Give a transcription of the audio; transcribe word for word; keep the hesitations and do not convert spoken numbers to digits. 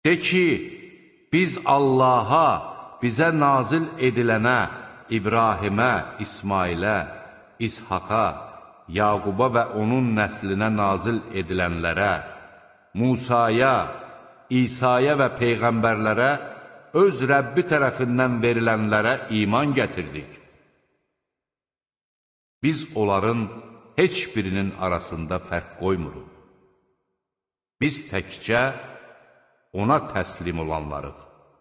De ki, biz Allaha, bizə nazil edilənə, İbrahimə, İsmailə, İshaqa, Yaquba və onun nəslinə nazil edilənlərə, Musaya, İsa'ya və Peyğəmbərlərə, öz Rəbbi tərəfindən verilənlərə iman gətirdik. Biz onların heç birinin arasında fərq qoymuruq. Biz təkcə ona təslim olanlarıq.